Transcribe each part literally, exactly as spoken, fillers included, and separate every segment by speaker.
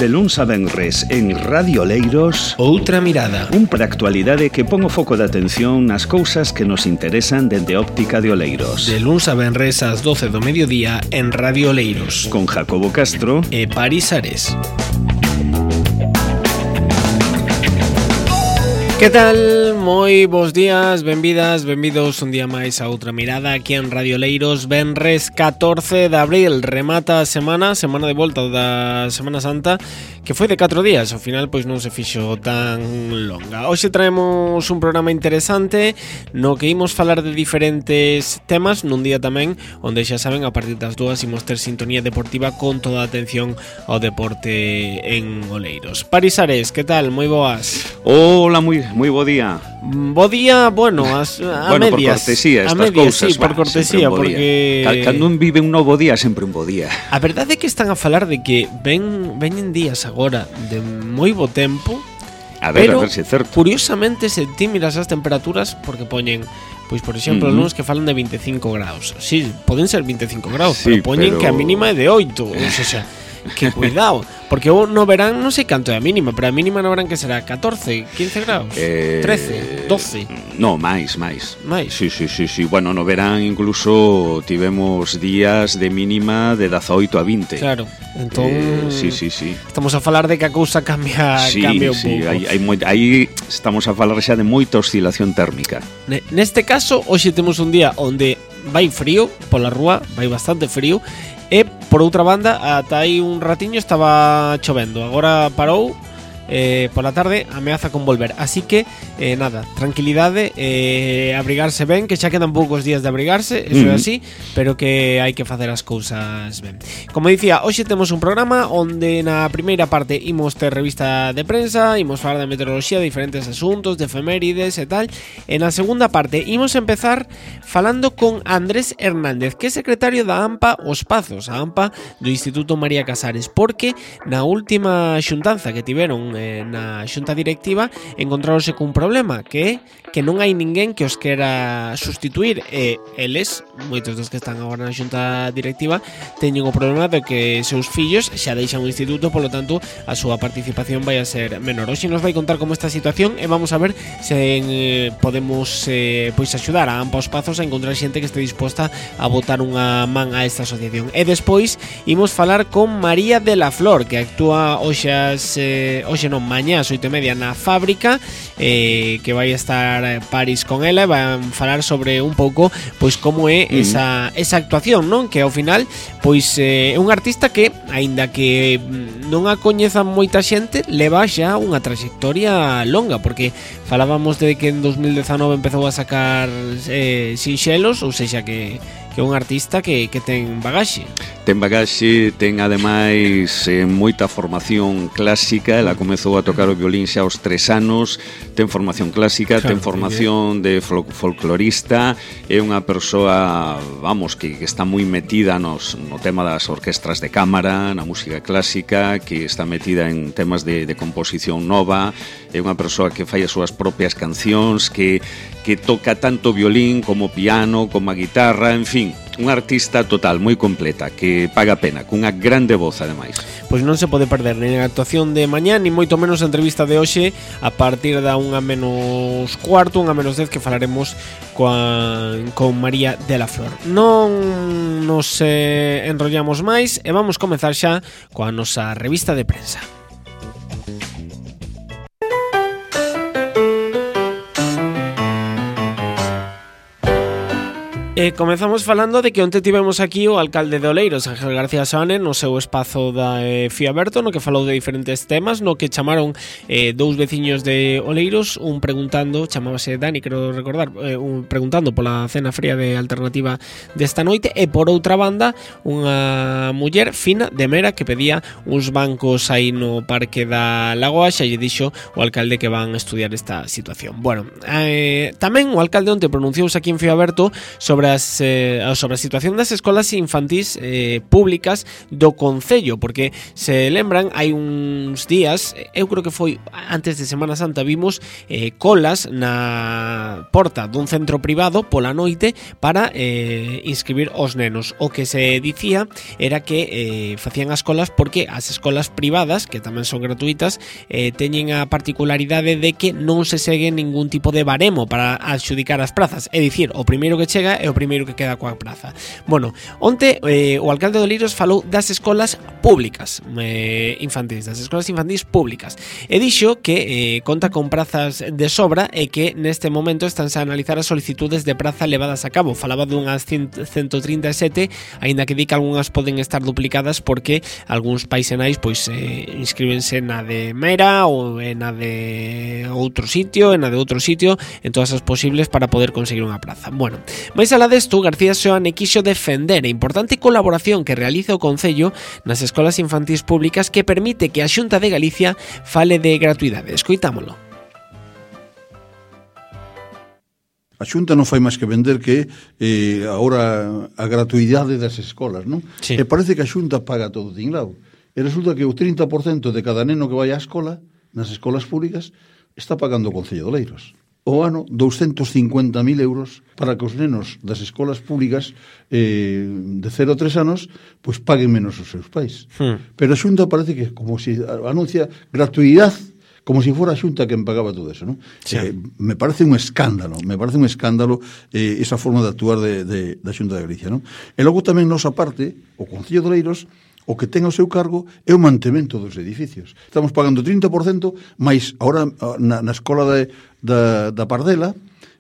Speaker 1: De luns a venres en Radio Oleiros,
Speaker 2: Outra Mirada.
Speaker 1: Un para actualidade que pon o foco de atención nas cousas que nos interesan dende óptica de Oleiros.
Speaker 2: De luns a venres ás doce do mediodía en Radio Oleiros.
Speaker 1: Con Jacobo Castro
Speaker 2: e Paris Ares. Que tal? Moi bons días, benvidas, benvidos un día máis a Outra Mirada aquí en Radio Oleiros. Venres catorce de abril, remata a semana, semana de volta da Semana Santa, que foi de catro días, ao final pois non se fixo tan longa. Hoxe traemos un programa interesante no que imos falar de diferentes temas nun día tamén onde xa saben a partir das dúas imos ter sintonía deportiva con toda a atención ao deporte en Oleiros. Paris Ares, que tal? Moi boas.
Speaker 1: Hola, moi moi bo día.
Speaker 2: Bo día, bueno, as, a
Speaker 1: bueno,
Speaker 2: medias.
Speaker 1: por cortesía, estas
Speaker 2: medias,
Speaker 1: cousas.
Speaker 2: Sí, por cortesía, porque...
Speaker 1: Cando un vive un novo día, sempre un bo día.
Speaker 2: A verdade é que están a falar de que ven veñen días agora de moi bo tempo.
Speaker 1: A ver,
Speaker 2: pero,
Speaker 1: a ver se é certo.
Speaker 2: Curiosamente, se ti miras as temperaturas, porque poñen, pois por exemplo,
Speaker 1: uh-huh.
Speaker 2: luns que falan de veinticinco graus. Sí, poden ser veinticinco graus,
Speaker 1: sí,
Speaker 2: pero poñen
Speaker 1: pero...
Speaker 2: que a mínima é de oito, ou sea, que cuidado, porque no verán non sei canto é a mínima, pero a mínima no verán que será catorce, quince graus,
Speaker 1: eh,
Speaker 2: trece, doce.
Speaker 1: No, máis, máis.
Speaker 2: Máis.
Speaker 1: Sí, sí, sí, sí. Bueno, no verán incluso tivemos días de mínima de dezaoito a vinte.
Speaker 2: Claro. Entón,
Speaker 1: eh, sí, sí, sí.
Speaker 2: Estamos a falar de que a cousa cambia,
Speaker 1: sí,
Speaker 2: cambia un
Speaker 1: sí,
Speaker 2: pouco.
Speaker 1: Hai, hai moi, aí estamos a falar xa de moita oscilación térmica.
Speaker 2: Neste caso, hoxe temos un día onde vai frío pola rúa, vai bastante frío. E, por outra banda, ata aí un ratiño estaba chovendo. Agora parou, eh, pola tarde ameaza con volver. Así que, eh, nada, tranquilidade, eh, abrigarse ben, que xa quedan poucos días de abrigarse, eso uh-huh. é así, pero que hai que facer as cousas ben. Como dicía, hoxe temos un programa onde na primeira parte imos ter revista de prensa, imos falar de meteoroloxía, de diferentes asuntos, de efemérides e tal. E na segunda parte imos empezar falando con Andrés Hernández, que é secretario da AMPA Os Pazos, a AMPA do Instituto María Casares, porque na última xuntanza que tiveron eh, na xunta directiva encontraronse cun problema, que é que non hai ninguén que os quera sustituir e eles, moitos dos que están agora na xunta directiva, teñen o problema de que seus fillos xa deixan o instituto, polo tanto a súa participación vai a ser menor. Hoxe nos vai contar como esta situación e vamos a ver se eh, podemos eh, pois axudar a AMPA Os Pazos a encontrar xente que este disposta a botar unha man a esta asociación. E despois imos falar con María de la Flor, que actúa hoxe as, eh, hoxe non, mañá ás oito e media na fábrica, eh, que vai estar Paris con ela e van falar sobre un pouco pois como é uh-huh. esa, esa actuación, non? Que ao final pois é eh, un artista que, aínda que non a coñeza moita xente, leva xa unha trayectoria longa, porque falábamos de que en dos mil dezanove empezou a sacar eh, sinxelos, ou sexa que que é un artista que, que ten bagaxe.
Speaker 1: Ten bagaxe, ten ademais eh, moita formación clásica. Ela comezou a tocar o violín xa aos tres anos. Ten formación clásica, claro, ten formación de fol- folclorista. É unha persoa, vamos, que, que está moi metida nos, no tema das orquestras de cámara, na música clásica, que está metida en temas de, de composición nova. É unha persoa que fai as súas propias cancións, que, que toca tanto violín como piano, como a guitarra, en fin, unha artista total, moi completa, que paga pena, cunha grande voz ademais.
Speaker 2: Pois non se pode perder nin a actuación de mañá, ni moito menos a entrevista de hoxe a partir da unha menos cuarto, unha menos dez, que falaremos coa, con María de la Flor. Non nos eh, enrollamos máis e vamos comezar xa coa nosa revista de prensa. E comezamos falando de que onte tivemos aquí o alcalde de Oleiros, Ángel García Soane, no seu espazo da eh, Fiaberto, no que falou de diferentes temas, no que chamaron eh, dous veciños de Oleiros, un preguntando, chamábase Dani, quero recordar, eh, un preguntando pola cena fría de alternativa desta noite, e por outra banda, unha muller fina de Mera que pedía uns bancos aí no Parque da Lagoa, xa lle dixo o alcalde que van a estudiar esta situación. Bueno, eh, tamén o alcalde onte pronunciouse aquí en Fiaberto sobre das, eh, sobre a situación das escolas infantís eh, públicas do Concello, porque se lembran, hai uns días, eu creo que foi antes de Semana Santa, vimos eh, colas na porta dun centro privado pola noite para eh, inscribir os nenos. O que se dicía era que eh, facían as colas porque as escolas privadas, que tamén son gratuitas, eh, teñen a particularidade de que non se segue ningún tipo de baremo para adxudicar as prazas, é dicir, o primeiro que chega é o primeiro que queda coa praza. Bueno, onte eh, o alcalde de Oleiros falou das escolas públicas eh, infantís, das escolas infantís públicas, e dixo que eh, conta con prazas de sobra e que neste momento estánse a analizar as solicitudes de praza levadas a cabo. Falaba dunhas ciento trinta e sete, aínda que di que algunhas poden estar duplicadas porque algúns paisenais pois eh, inscríbense na de Mera ou na de outro sitio, na de outro sitio, en todas as posibles para poder conseguir unha praza. Bueno, máis alá desto, García Seoane quixo defender a importante colaboración que realiza o Concello nas escolas infantís públicas que permite que a Xunta de Galicia fale de gratuidade. Escoitámolo.
Speaker 3: A Xunta non fai máis que vender que eh, agora a gratuidade das escolas, non?
Speaker 2: Sí.
Speaker 3: E parece que a Xunta paga todo tinglado. E resulta que o trinta por cento de cada neno que vai á escola, nas escolas públicas, está pagando o Concello de Oleiros. O ano, douscentos cincuenta mil euros para que os nenos das escolas públicas eh, de cero a tres anos pois paguen menos os seus pais. Hmm. Pero a Xunta parece que como si anuncia gratuidade, como si fora a Xunta quen pagaba todo eso, non? Sí. Eh, me parece un escándalo, me parece un escándalo eh, esa forma de actuar de, de, da Xunta de Galicia, non? E logo tamén nosa parte, o Concello de Oleiros, o que ten ao seu cargo é o mantemento dos edificios. Estamos pagando trinta por cento, mas agora na, na escola de, da, da Pardela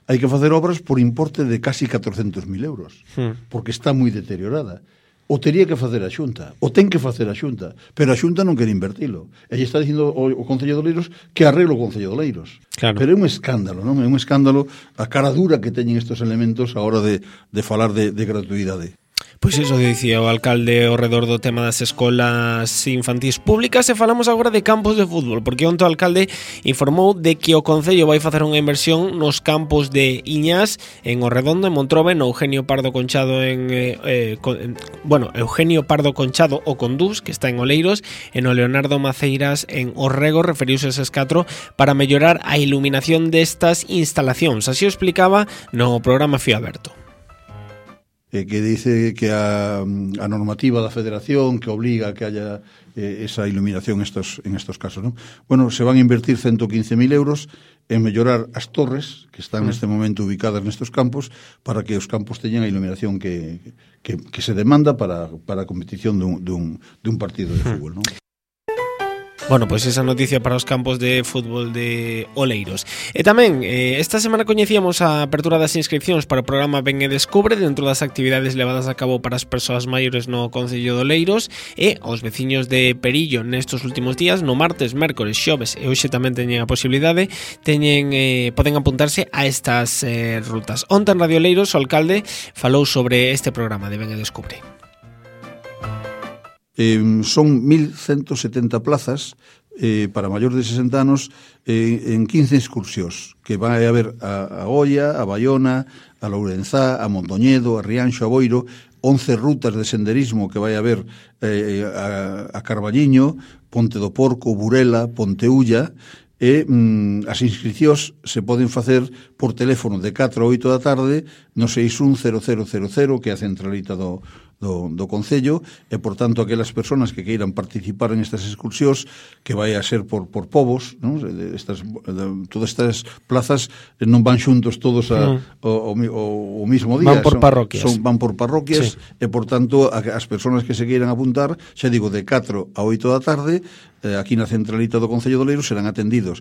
Speaker 3: hai que facer obras por importe de casi catorcentos mil euros, hmm. porque está moi deteriorada. O tería que facer a Xunta, o ten que facer a Xunta, pero a Xunta non quere invertilo. E está dicindo o, o Concello de Oleiros que arreglo o Concello de Oleiros. Claro. Pero é un escándalo, non? É un escándalo a cara dura que teñen estes elementos a hora de, de falar de, de gratuidade.
Speaker 2: Pois iso dicía o alcalde ao redor do tema das escolas infantís públicas. E falamos agora de campos de fútbol, porque onte o alcalde informou de que o Concello vai facer unha inversión nos campos de Iñás, en Orredondo, en Montrobe, no Eugenio Pardo Conchado en, eh, eh, con, en bueno, Eugenio Pardo Conchado o Condús, que está en Oleiros, e no Leonardo Maceiras en Orrego. Referiuse a eses catro para mellorar a iluminación destas instalacións. Así o explicaba no programa Fío Aberto.
Speaker 3: Eh, que dice que a, a normativa da Federación que obliga a que haya eh, esa iluminación estos, en estos casos, ¿no? Bueno, se van a invertir ciento quince mil euros en mellorar as torres que están neste momento ubicadas nestos campos para que os campos teñan a iluminación que, que, que se demanda para, para a competición dun, dun, dun partido de fútbol, ¿no?
Speaker 2: Bueno, pois esa noticia para os campos de fútbol de Oleiros. E tamén, eh, esta semana coñecíamos a apertura das inscripcións para o programa Ven e Descubre dentro das actividades levadas a cabo para as persoas maiores no Concello de Oleiros, e os veciños de Perillo nestes últimos días, no martes, mércores, xoves e hoxe tamén teñen a posibilidade, teñen, eh, poden apuntarse a estas eh, rutas. Onte en Radio Oleiros o alcalde falou sobre este programa de Ven e Descubre.
Speaker 3: Eh, son mil ciento setenta plazas eh, para maiores de sesenta anos eh, en quince excursións que vai haber a, a Oia, a Baiona, a Lourenzá, a Mondoñedo, a Rianxo, a Boiro, once rutas de senderismo que vai haber eh, a, a Carballiño, Ponte do Porco, Burela, Ponteulla, e mm, as inscricións se poden facer por teléfono de catro a oito da tarde no seis un cero cero cero cero, que é a centralita do Do, do Concello, e, por tanto, aquelas persoas que queiran participar en estas excursións, que vai a ser por, por povos, non? Estas, de, todas estas plazas non van xuntos todos a, mm. o, o, o mismo día.
Speaker 2: Van por parroquias.
Speaker 3: Son, son, van por parroquias, sí. E, por tanto, a, as persoas que se queiran apuntar, xa digo, de catro a oito da tarde, eh, aquí na centralita do Concello de Oleiros serán atendidos.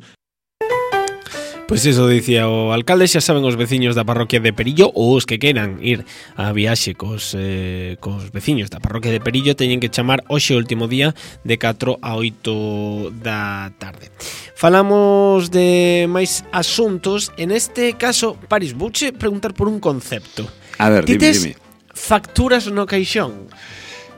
Speaker 2: Pois iso dicía o alcalde. Xa saben os veciños da parroquia de Perillo, ou os que queiran ir a viaxe cos, eh, cos veciños da parroquia de Perillo, teñen que chamar hoxe o último día de catro a oito da tarde. Falamos de máis asuntos. En este caso, Paris, vouche preguntar por un concepto.
Speaker 1: A ver, dime, dime.
Speaker 2: Facturas no caixón?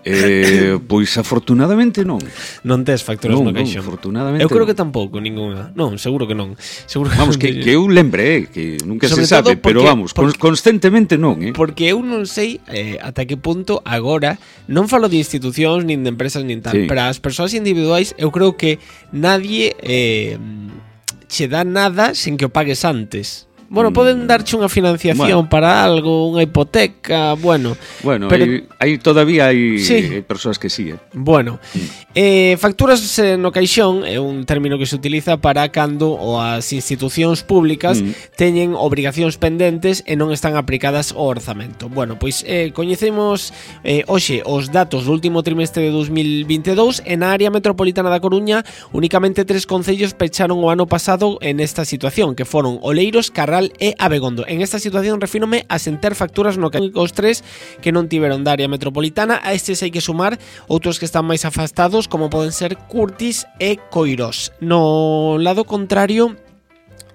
Speaker 1: Eh, pois afortunadamente non.
Speaker 2: Non tes facturas
Speaker 1: non,
Speaker 2: no caixón.
Speaker 1: Non, afortunadamente.
Speaker 2: Eu creo
Speaker 1: non.
Speaker 2: que tampouco ninguna. Non, seguro que non. Seguro
Speaker 1: Vamos, que, que eu lembre, que nunca
Speaker 2: sobre
Speaker 1: se sabe,
Speaker 2: porque,
Speaker 1: pero vamos,
Speaker 2: porque,
Speaker 1: constantemente non, eh.
Speaker 2: Porque eu non sei eh, ata que punto agora, non falo de institucións, nin de empresas, nin tal,
Speaker 1: sí.
Speaker 2: pero as persoas individuais, eu creo que nadie eh, che dá nada sen que o pagues antes. Bueno, poden darche unha financiación bueno. para algo, unha hipoteca, bueno.
Speaker 1: Bueno,
Speaker 2: pero
Speaker 1: hai, hai todavía hai
Speaker 2: sí.
Speaker 1: persoas que sí, eh.
Speaker 2: Bueno, mm. eh, facturas eh, no caixón é un término que se utiliza para cando ou as institucións públicas mm. teñen obrigacións pendentes e non están aplicadas ao orzamento. Bueno, pois eh, coñecemos eh, hoxe os datos do último trimestre de dos mil vinte e dous e na área metropolitana da Coruña únicamente tres concellos pecharon o ano pasado en esta situación, que foron Oleiros, Carral e Abegondo. En esta situación refírome a sen ter facturas no que os tres que non tiveron da área metropolitana. A estes hai que sumar outros que están máis afastados, como poden ser Curtis e Coirós. No lado contrario,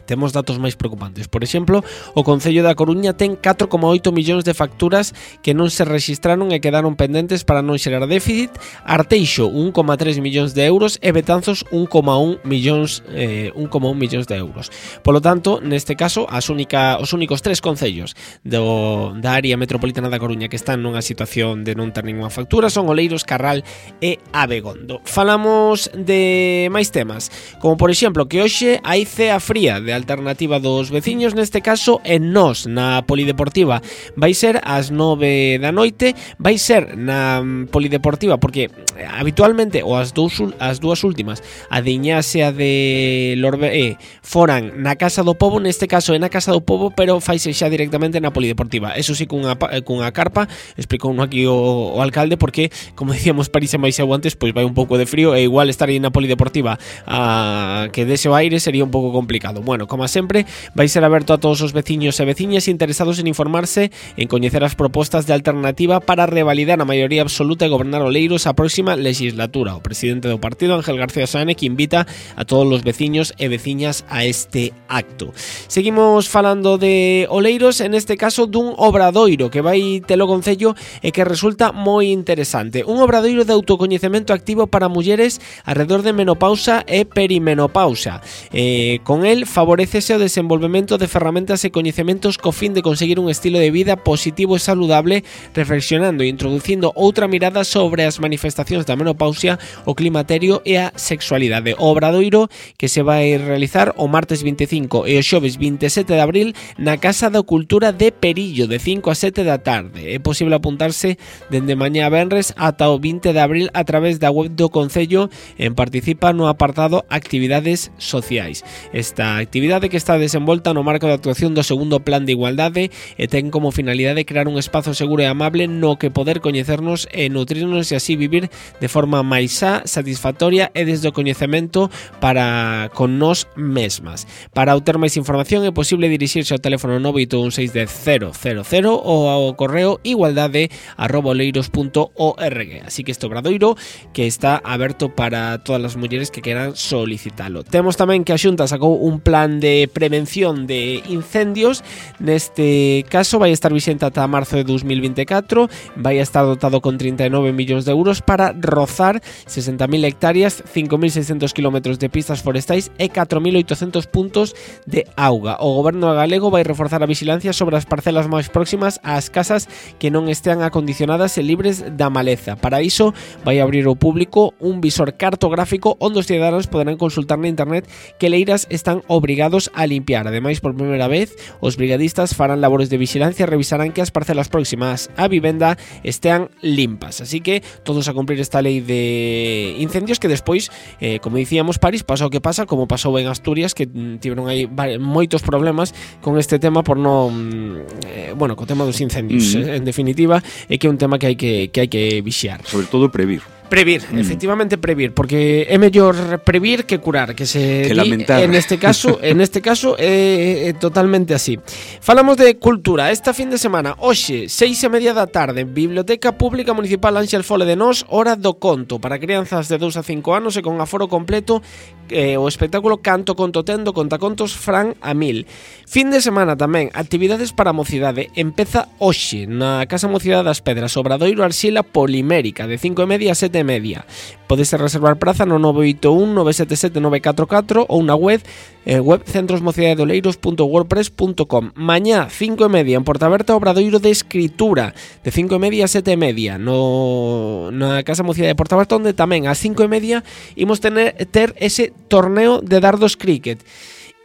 Speaker 2: temos datos máis preocupantes. Por exemplo, o Concello da Coruña ten catro coma oito millóns de facturas que non se rexistraron e quedaron pendentes para non xerar déficit. Arteixo, un coma tres millóns de euros e Betanzos, un coma un millóns eh, un coma un millóns de euros. Polo tanto, neste caso, as única, os únicos tres concellos do, da área metropolitana da Coruña que están nunha situación de non ter ninguna factura son Oleiros, Carral e Abegondo. Falamos de máis temas, como por exemplo que hoxe hai cea fría de alternativa dos veciños, neste caso en Nós, na Polideportiva. Vai ser ás nove da noite, vai ser na Polideportiva, porque habitualmente, ou as, dous, as dúas últimas, a de Iñase e a de Lorbe, foran na Casa do Pobo, neste caso é na Casa do Pobo, pero faise xa directamente na Polideportiva. Eso sí, cunha, cunha carpa, explicou aquí o, o alcalde, porque, como decíamos, París e máis antes, pois vai un pouco de frío, e igual estar aí na Polideportiva a que dese o aire sería un pouco complicado. Bueno, como sempre, vai ser aberto a todos os veciños e veciñas interesados en informarse, en coñecer as propostas de alternativa para revalidar a maioría absoluta e gobernar Oleiros a próxima legislatura. O presidente do partido, Ángel García Sáenz, que invita a todos os veciños e veciñas a este acto. Seguimos falando de Oleiros, en este caso dun obradoiro que vai telo Concello e que resulta moi interesante. Un obradoiro de autocoñecemento activo para mulleres alrededor de menopausa e perimenopausa. Eh, con el favorece o desenvolvemento de ferramentas e coñecementos co fin de conseguir un estilo de vida positivo e saludable, reflexionando e introducindo outra mirada sobre as manifestacións da menopausia, o climaterio e a sexualidade. O obradoiro que se vai realizar o martes vinte e cinco e o xoves vinte e sete de abril na Casa da Cultura de Perillo, de cinco a sete da tarde. É posible apuntarse dende mañá a venres ata o vinte de abril a través da web do Concello en participa no apartado Actividades Sociais. Esta actividade que está desenvolta no marco de actuación do segundo Plan de Igualdade e ten como finalidade crear un espazo seguro e amable no que poder coñecernos e nutrirnos e así vivir de forma máis xa, satisfactoria e desde o coñecemento para con nós mesmas. Para obter máis información é posible dirixirse ao teléfono nove oito un seis cero cero cero ou ao correo igualdade arroba oleiros punto org. Así que este obradoiro que está aberto para todas as mulleres que queran solicitalo. Temos tamén que a Xunta sacou un plan de prevención de incendios. Neste caso vai estar vixente ata marzo de dos mil vinte e catro, vai estar dotado con trinta e nove millóns de euros para rozar sesenta mil hectáreas, cinco mil seiscentos kilómetros de pistas forestais e catro mil oitocentos puntos de auga. O goberno galego vai reforzar a vigilancia sobre as parcelas máis próximas ás casas que non estean acondicionadas e libres da maleza. Para iso vai abrir ao público un visor cartográfico onde os cidadáns poderán consultar na internet que leiras están obrigados a limpiar. Ademais, por primeira vez, os brigadistas farán labores de vigilancia e revisarán que as parcelas próximas á vivenda estean limpas. Así que todos a cumprir esta lei de incendios que despois, eh, como dicíamos, París pasa o que pasa, como pasou en Asturias, que tiveron aí moitos problemas con este tema por non eh, bueno, co tema dos incendios, mm-hmm. eh, en definitiva, é que é un tema que hai que que hai que vixiar.
Speaker 1: Sobre todo previr.
Speaker 2: Previr, mm. efectivamente previr, porque é mellor previr que curar, que se
Speaker 1: que
Speaker 2: di,
Speaker 1: lamentar.
Speaker 2: En este caso, en este caso é, é totalmente así. Falamos de cultura. Esta fin de semana, hoxe, seis e media da tarde, Biblioteca Pública Municipal Ánxel Fole de Nós, Hora do Conto, para crianzas de dous a cinco anos e con aforo completo, eh, o espectáculo Canto Conto Tendo, Contacontos Fran a Mil. Fin de semana tamén, actividades para a mocidade. Empeza hoxe na Casa Mocidade das Pedras, Obradoiro Arxila Polimérica, de cinco e media a sete e media. Podes reservar praza no nove oito un nove sete sete nove catro catro ou na web eh, web centrosmocidadedoleiros punto wordpress punto com. Mañá, cinco e media, en Portaberta, Obradoiro de Escritura, de cinco e media a sete e media, no, na Casa Mocidade de Portaberta, onde tamén ás cinco e media imos tener, ter ese torneo de dardos cricket.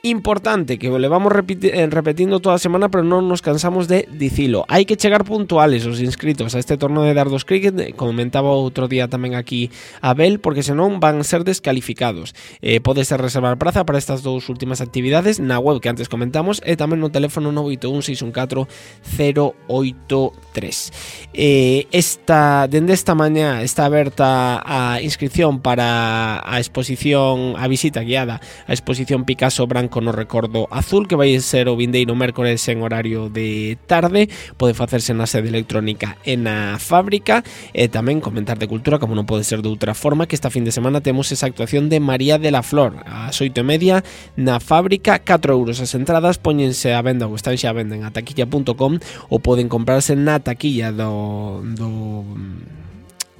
Speaker 2: Importante, que o levamos repiti- repetindo toda a semana, pero non nos cansamos de dicilo. Hai que chegar puntuales os inscritos a este torneo de dardos cricket, comentaba outro día tamén aquí Abel, porque senón van ser descalificados. Eh, podes reservar praza para estas dous últimas actividades na web que antes comentamos e tamén no teléfono nove oito un seis un catro cero oito tres. Eh, esta, dende esta mañá está aberta a inscripción para a exposición, a visita guiada a exposición Picasso Branco no recordo azul, que vai ser o vindeiro mércores en horario de tarde. Pode facerse na sede electrónica e na fábrica. E tamén comentar de cultura, como non pode ser de outra forma, que esta fin de semana temos esa actuación de María de la Flor ás oito e media na fábrica. Catro euros as entradas, póñense a venda ou están xa a venda en a taquilla punto com ou poden comprarse na taquilla do... do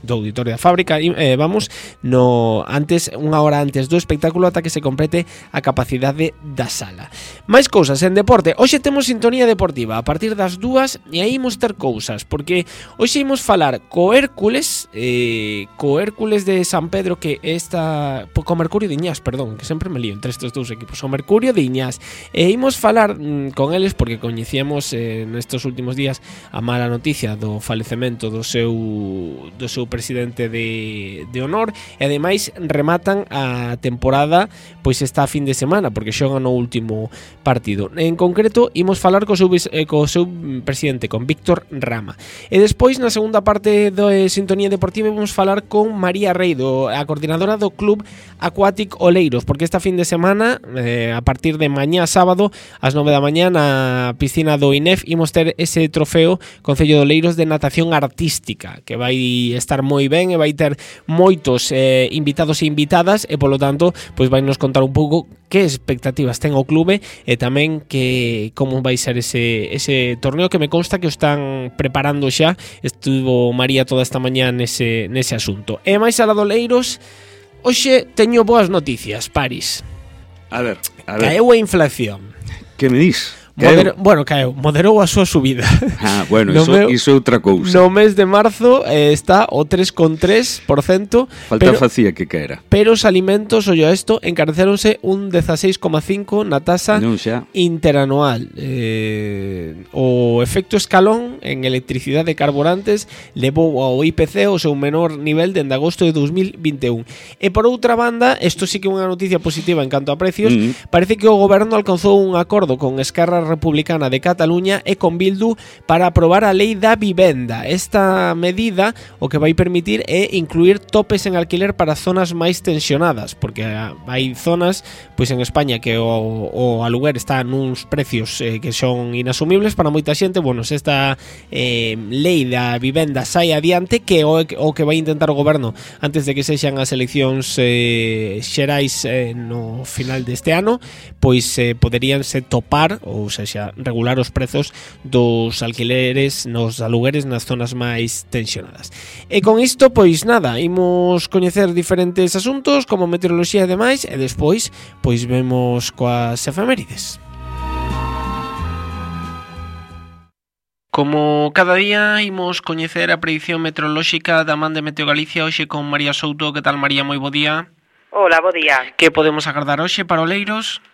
Speaker 2: do auditorio da fábrica, eh, vamos, no antes unha hora antes do espectáculo ata que se complete a capacidade da sala. Máis cousas en deporte. Hoxe temos sintonía deportiva a partir das dúas e aí imos ter cousas, porque hoxe imos falar co Hércules, eh, co Hércules de San Pedro, que esta co Mercurio de Iñás, perdón, que sempre me lío entre estes dous equipos, o Mercurio de Iñás. E imos falar mm, con eles porque coñecíamos eh, nestes últimos días a mala noticia do falecemento do seu do seu presidente de, de honor, e ademais rematan a temporada pois esta fin de semana, porque xogan no último partido. En concreto, imos falar co seu, eh, co seu presidente, con Víctor Rama. E despois, na segunda parte do eh, Sintonía Deportiva, vamos falar con María Reido, a coordinadora do Club Aquatic Oleiros, porque esta fin de semana, eh, a partir de mañá sábado, ás nove da mañá, na piscina do I N E F, imos ter ese trofeo Concello de Oleiros de natación artística, que vai estar moi ben e vai ter moitos eh, invitados e invitadas, e polo tanto pois vai nos contar un pouco que expectativas ten o clube e tamén que como vai ser ese, ese torneo, que me consta que o están preparando xa. Estuvo María toda esta mañá nese, nese asunto. E máis alá do Oleiros, hoxe teño boas noticias, Paris.
Speaker 1: A ver, a ver.
Speaker 2: Caeu a inflación.
Speaker 1: Que me dis?
Speaker 2: Modero, bueno, caeu, moderou a súa subida.
Speaker 1: Ah, bueno,
Speaker 2: no
Speaker 1: iso,
Speaker 2: meu,
Speaker 1: iso é outra cousa.
Speaker 2: No mes de marzo eh, está o tres coma tres por cento.
Speaker 1: Falta
Speaker 2: pero,
Speaker 1: facía que caera.
Speaker 2: Pero os alimentos, ollo a isto, encarecéronse un dezaseis coma cinco na tasa
Speaker 1: non xa.
Speaker 2: interanual. Eh, o efecto escalón en electricidade e carburantes levou ao I P C o seu menor nivel dende agosto de dos mil vinte e un. E por outra banda, isto sí que é unha noticia positiva en canto a precios, mm. parece que o goberno alcanzou un acordo con Esquerra Republicana de Cataluña e con Bildu para aprobar a lei da vivenda. Esta medida o que vai permitir é incluir topes en alquiler para zonas máis tensionadas, porque hai zonas pois en España que o, o aluguer está nuns precios eh, que son inasumibles para moita xente. Bueno, se esta eh, lei da vivenda sai adiante, que o, o que vai intentar o goberno antes de que sexan as eleccións eh, xerais eh, no final deste ano, pois eh, poderíanse topar, ou seja, regular os prezos dos alquileres nos alugueres nas zonas máis tensionadas. E con isto, pois nada, imos coñecer diferentes asuntos como meteoroloxía e demais, e despois pois vemos coas efemérides. Como cada día imos coñecer a predición meteorolóxica da man de Meteo Galicia, hoxe con María Souto. Que tal, María? Moi bo día.
Speaker 4: Hola, bo día.
Speaker 2: Que podemos agardar hoxe para Oleiros?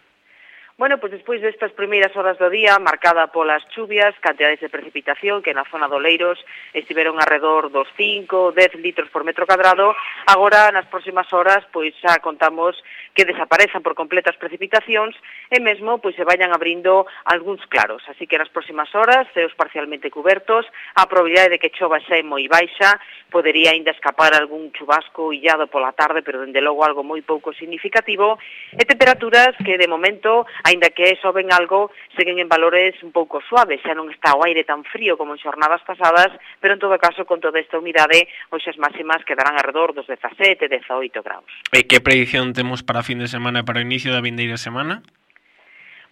Speaker 4: Bueno, pois despois destas primeiras horas do día, marcada polas chuvias, cantidades de precipitación que na zona do Oleiros estiveron arredor dos cinco, dez litros por metro cadrado, agora nas próximas horas pois xa contamos que desaparezan por completo as precipitacións e mesmo pois se vayan abrindo algúns claros, así que nas próximas horas, ceos parcialmente cubertos, a probabilidade de que chova xa é moi baixa, podería ainda escapar algún chubasco illado pola tarde, pero dende logo algo moi pouco significativo, e temperaturas que de momento, aínda que soben algo, seguen en valores un pouco suaves, xa non está o aire tan frío como en xornadas pasadas, pero en todo caso, con toda esta humidade, hoxe as máximas quedarán alrededor dos dezasete, dezaoito graus.
Speaker 2: E que predición temos para fin de semana e para o inicio da vindeira semana?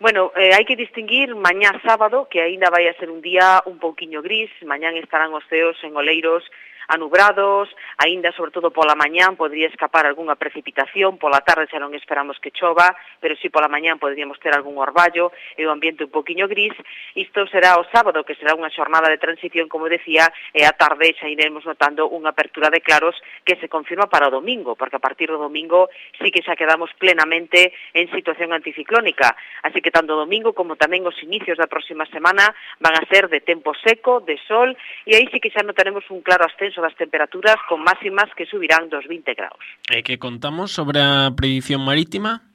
Speaker 4: Bueno, eh, hai que distinguir mañá sábado, que aínda vai a ser un día un pouquiño gris, mañán estarán os ceos en Oleiros anubrados, aínda sobre todo pola mañán podría escapar algunha precipitación, pola tarde xa non esperamos que chova, pero si pola mañán poderíamos ter algún orballo e o ambiente un poquinho gris. Isto será o sábado, que será unha xornada de transición, como decía, e a tarde xa iremos notando unha apertura de claros que se confirma para o domingo, porque a partir do domingo sí que xa quedamos plenamente en situación anticiclónica, así que tanto o domingo como tamén os inicios da próxima semana van a ser de tempo seco, de sol, e aí sí que xa notaremos un claro ascenso das temperaturas con máximas que subirán dos vinte graus.
Speaker 2: E que contamos sobre a predición marítima?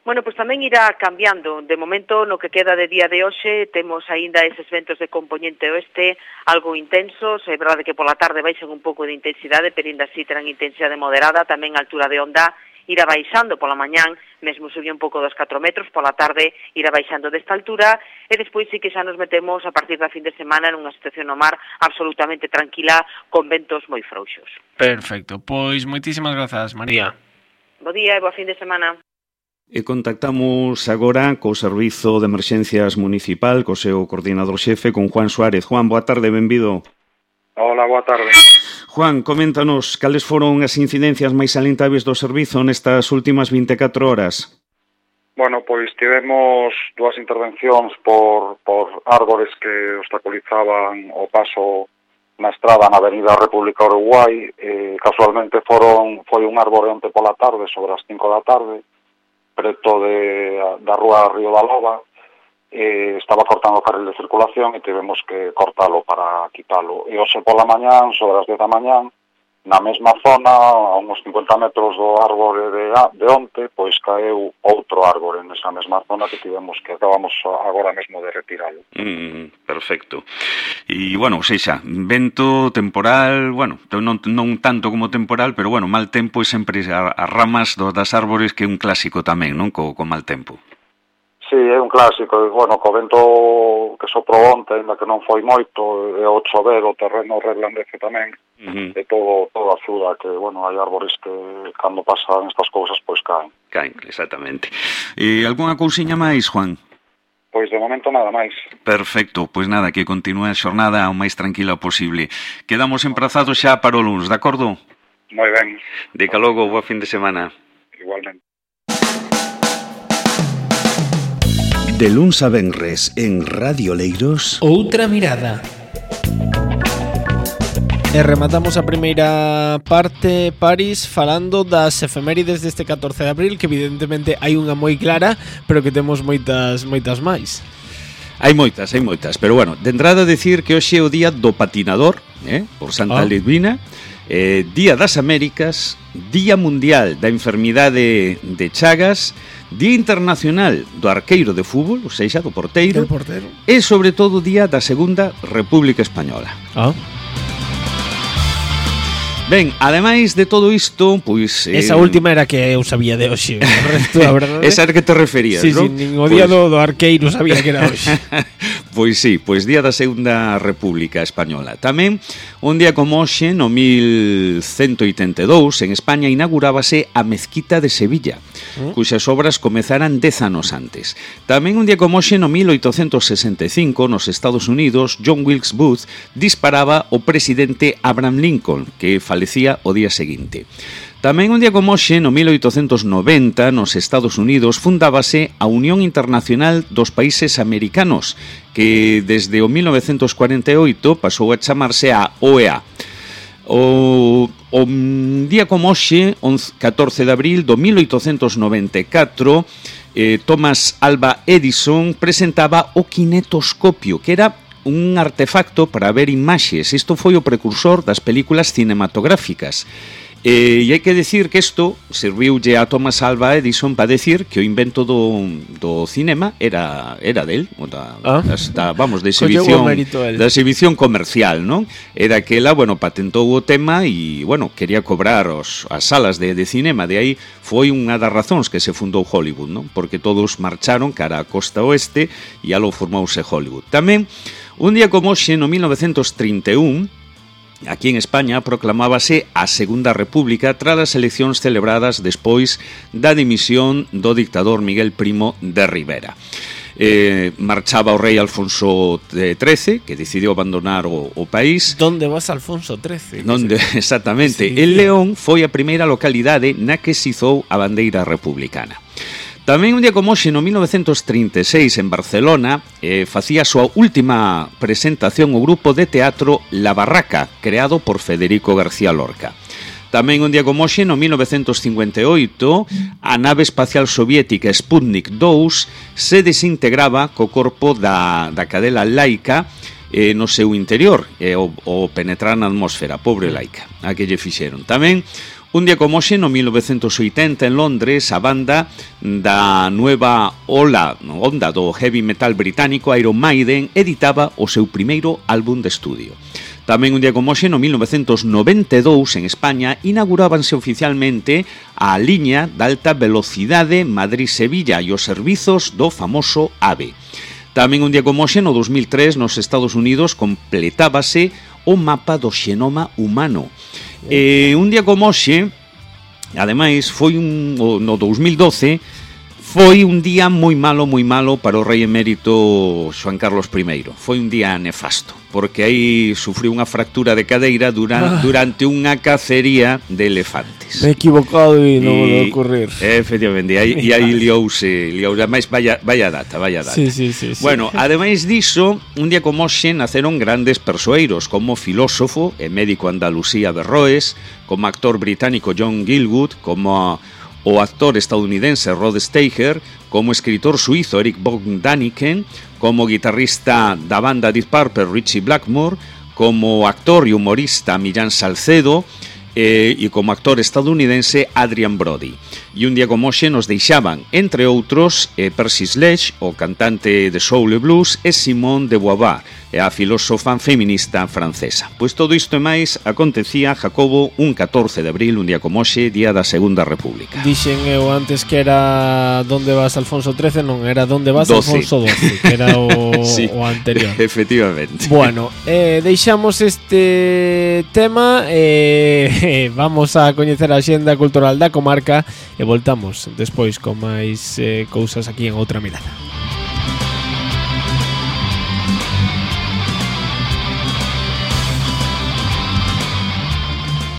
Speaker 4: Bueno, pois tamén irá cambiando. De momento, no que queda de día de hoxe, temos aínda eses ventos de componente oeste algo intensos. É verdade que pola tarde baixan un pouco de intensidade, pero ainda así terán intensidade moderada. Tamén a altura de onda irá baixando pola mañán, mesmo subía un pouco dos catro metros, pola tarde irá baixando desta altura, e despois sí que xa nos metemos a partir da fin de semana nunha situación no mar absolutamente tranquila, con ventos moi frouxos.
Speaker 2: Perfecto, pois moitísimas grazas, María.
Speaker 4: Bo día e boa fin de semana.
Speaker 1: E contactamos agora co Servizo de Emerxencias Municipal, co seu coordinador xefe, con Juan Suárez. Juan, boa tarde, benvido.
Speaker 5: Hola, boa tarde.
Speaker 1: Juan, coméntanos cales foron as incidencias máis salientables do servizo nestas últimas vinte e catro horas.
Speaker 5: Bueno, pois tivemos dúas intervencións por, por árbores que obstaculizaban o paso na estrada na Avenida República Uruguai. Eh, casualmente foron foi un árbore onte pola tarde, sobre as cinco da tarde, preto de, da rúa Río da Loba. Eh, estaba cortando o carril de circulación e tivemos que cortalo para quitalo. E hoxe pola mañán, sobre as dez da mañán, na mesma zona, a uns cincuenta metros do árbore de, de onte, pois caeu outro árbore nesa mesma zona que tivemos que acabamos agora mesmo de retiralo.
Speaker 1: Mm, perfecto. E, bueno, ou seja, vento, temporal, bueno, non, non tanto como temporal, pero, bueno, mal tempo e sempre as ramas do, das árbores, que é un clásico tamén, non? Co, co mal tempo.
Speaker 5: Sí, é un clásico, e, bueno, co vento que soprou onte, ainda que non foi moito, e o chover, o terreno reblandece tamén, uh-huh. E todo, todo axuda, que, bueno, hai árbores que cando pasan estas cousas, pois caen.
Speaker 1: Caen, exactamente. E algunha cousiña máis, Juan?
Speaker 5: Pois de momento nada máis.
Speaker 1: Perfecto, pois nada, que continúe a xornada o máis tranquila posible. Quedamos emprazados xa para o luns, de acordo?
Speaker 5: Moi ben.
Speaker 1: De ca logo, boa fin de semana.
Speaker 5: Igualmente.
Speaker 6: De luns a venres en Radio Leiros,
Speaker 2: Outra mirada. E rematamos a primeira parte, Paris, falando das efemérides deste catorce de abril, que evidentemente hai unha moi clara, pero que temos moitas moitas máis.
Speaker 1: Hai moitas, hai moitas, pero bueno, de entrada decir que hoxe é o día do patinador, eh, por Santa
Speaker 2: ah.
Speaker 1: Lidvina, eh, Día das Américas, Día Mundial da Enfermidade de Chagas, Día Internacional do Arqueiro de Fútbol, ou seja, do porteiro,
Speaker 2: El portero.
Speaker 1: E sobre todo Día da Segunda República Española.
Speaker 2: Ah.
Speaker 1: Ben, ademais de todo isto, pois...
Speaker 2: Esa eh, última era que eu sabía de hoxe, o resto, a verdade.
Speaker 1: Esa era que te referías,
Speaker 2: sí,
Speaker 1: non?
Speaker 2: Sí, nin o día pues... do, do arqueiro sabía que era hoxe.
Speaker 1: Pois sí, pois Día da Segunda República Española. Tamén, un día como hoxe, no mil cento oitenta e dous, en España inaugurábase a Mezquita de Sevilla, ¿Mm? cuxas obras comezaran dez anos antes. Tamén un día como hoxe, no mil oitocentos sesenta e cinco, nos Estados Unidos, John Wilkes Booth disparaba o presidente Abraham Lincoln, que falecía o día seguinte. Tamén un día como hoxe, no mil oitocentos noventa, nos Estados Unidos, fundábase a Unión Internacional dos Países Americanos, que desde o mil novecentos cuarenta e oito pasou a chamarse a O E A. O, o día como hoxe, catorce de abril do mil oitocentos noventa e catro, eh, Thomas Alva Edison presentaba o kinetoscopio, que era un artefacto para ver imaxes. Isto foi o precursor das películas cinematográficas. E hai que decir que isto serviulle a Thomas Alva Edison para decir que o invento do, do cinema era era del, da,
Speaker 2: ah.
Speaker 1: da, vamos, de exhibición, da exhibición comercial, non? Era que ela, bueno, patentou o tema e, bueno, quería cobrar os, as salas de, de cinema. De aí foi unha das razóns que se fundou Hollywood, non? Porque todos marcharon cara a costa oeste e alo formouse Hollywood. Tamén, un día como hoxe, no mil novecentos trinta e un, aquí en España proclamábase a Segunda República tras as eleccións celebradas despois da dimisión do dictador Miguel Primo de Rivera. Eh, marchaba o rei Alfonso trece, que decidiu abandonar o, o país.
Speaker 2: Donde vas Alfonso trece?
Speaker 1: Donde, exactamente. El León foi a primeira localidade na que se izou a bandeira republicana. Tamén un día como hoxe, no mil novecentos trinta e seis, en Barcelona, eh, facía a súa última presentación o grupo de teatro La Barraca, creado por Federico García Lorca. Tamén un día como hoxe, no mil novecentos cincuenta e oito, a nave espacial soviética Sputnik dous se desintegraba co corpo da, da cadela Laica eh, no seu interior, eh, o, o penetrar na atmósfera, pobre Laica, a que lle fixeron. Tamén un día como hoxe, no mil novecentos oitenta, en Londres, a banda da nueva ola, onda do heavy metal británico Iron Maiden editaba o seu primeiro álbum de estudio. Tamén un día como hoxe, no mil novecentos noventa e dous, en España, inaugurábanse oficialmente a liña de alta velocidade Madrid-Sevilla e os servizos do famoso AVE. Tamén un día como hoxe, no dos mil tres, nos Estados Unidos, completábase o mapa do xenoma humano. E un día como hoxe, ademais, foi un, no dos mil doce, foi un día moi malo, moi malo para o rei emérito Xoán Carlos primeiro. Foi un día nefasto, porque aí sufriu unha fractura de cadeira durante, ah. durante unha cacería de elefantes.
Speaker 2: Me he equivocado e non vou ocurrir.
Speaker 1: Efectivamente, e aí, e aí liouse, liouse, ademais, vaya, vaya data, vaya data.
Speaker 2: Sí, sí, sí, sí.
Speaker 1: Bueno, ademais diso, un día como hoxe naceron grandes persoeiros, como filósofo e médico Andalucía Berroes, como actor británico John Gielgud, como o actor estadounidense Rod Steiger, como escritor suizo Eric von Däniken, como guitarrista da banda Deep Purple Richie Blackmore, como actor e humorista Millán Salcedo, eh, e como actor estadounidense Adrian Brody. E un día como hoxe nos deixaban, entre outros, eh, Percy Sledge, o cantante de soul e blues, e Simone de Beauvoir, e a filósofa feminista francesa. Pois todo isto e máis acontecía, Jacobo, un catorce de abril, un día como hoxe, día da Segunda República.
Speaker 2: Dixen eu antes que era Donde vas Alfonso trece, non, era Donde vas doce. Alfonso doce, que era o, sí, o anterior.
Speaker 1: Efectivamente.
Speaker 2: Bueno, eh, deixamos este tema, eh, vamos a coñecer a xenda cultural da comarca e voltamos despois con máis eh, cousas aquí en Outra Mirada.